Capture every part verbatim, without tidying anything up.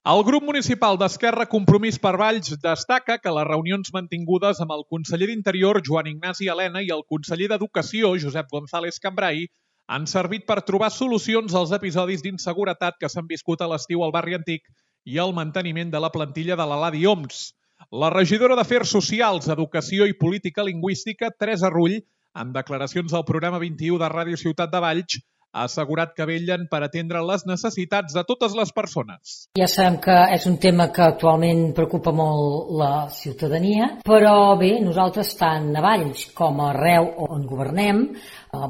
El grup municipal d'Esquerra Compromís per Valls destaca que les reunions mantingudes amb el conseller d'Interior, Joan Ignasi Elena, i el conseller d'Educació, Josep González Cambrai, han servit per trobar solucions als episodis d'inseguretat que s'han viscut a l'estiu al barri antic i al manteniment de la plantilla de l'Eladi Oms. La regidora d'Afers Socials, Educació i Política Lingüística, Teresa Rull, en declaracions al programa vint-i-u de Ràdio Ciutat de Valls, ha assegurat que vetllen per atendre les necessitats de totes les persones. Ja sabem que és un tema que actualment preocupa molt la ciutadania, però bé, nosaltres tant a Valls com arreu on governem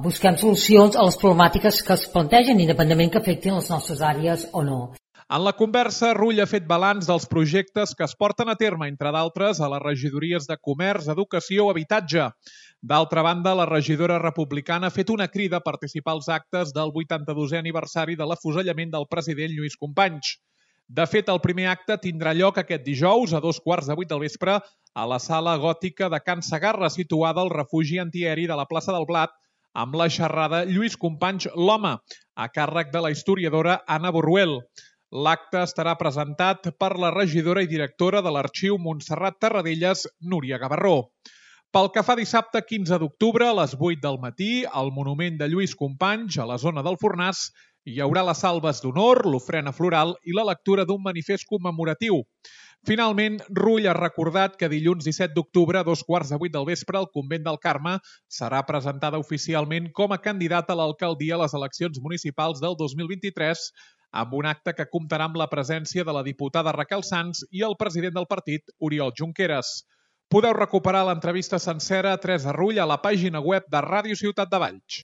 busquem solucions a les problemàtiques que es plantegen, independentment que afectin les nostres àrees o no. En la conversa, Rull ha fet balanç dels projectes que es porten a terme, entre d'altres, a les regidories de Comerç, Educació o Habitatge. D'altra banda, la regidora republicana ha fet una crida a participar als actes del vuitanta-dosè aniversari de l'afusellament del president Lluís Companys. De fet, el primer acte tindrà lloc aquest dijous a dos quarts de vuit del vespre a la sala gòtica de Can Segarra, situada al refugi antiaeri de la plaça del Blat, amb la xerrada Lluís Companys l'home, a càrrec de la historiadora Anna Borruel. L'acte estarà presentat per la regidora i directora de l'Arxiu Montserrat Tarradellas, Núria Gavarró. Pel que fa dissabte quinze d'octubre, a les vuit del matí, al monument de Lluís Companys, a la zona del Fornàs, hi haurà les salves d'honor, l'ofrena floral i la lectura d'un manifest commemoratiu. Finalment, Rull ha recordat que dilluns disset d'octubre, a dos quarts de vuit del vespre, el Convent del Carme serà presentada oficialment com a candidata a l'alcaldia a les eleccions municipals del dos mil vint-i-tres, amb un acte que comptarà amb la presència de la diputada Raquel Sans i el president del partit, Oriol Junqueras. Podeu recuperar l'entrevista sencera a Teresa Rull a la pàgina web de Ràdio Ciutat de Valls.